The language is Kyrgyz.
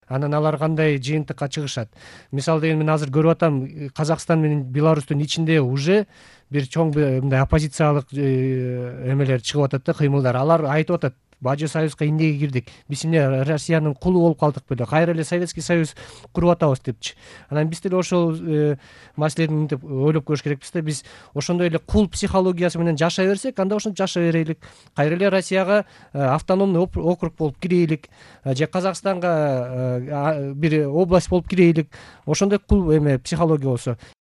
анан алар кандай жыйынтыкка чыгышат. Мисалы деген мен азыр көрүп атам, Казакстан менен Беларустун ичинде уже бир чоң мындай оппозициялык эмелер чыгып атат да, кыймылдар. Алар айтып атат, Бажы союзга эмнеге кирдик, биз эмне Россиянын кулу болуп калдык беле, кайра эле Советский Союз куруп атабыз депчи. Анан биз деле ошол маселени мынтип ойлоп көрүш керекпиз да, биз ошондой эле кул психологиясы менен жашай берсек, анда ошентип жашай берелик. Кайра эле Россияга автономный округ болуп кирелик, же Казакстанга бир область болуп кирелик. Ошондой кул эме психология болсо.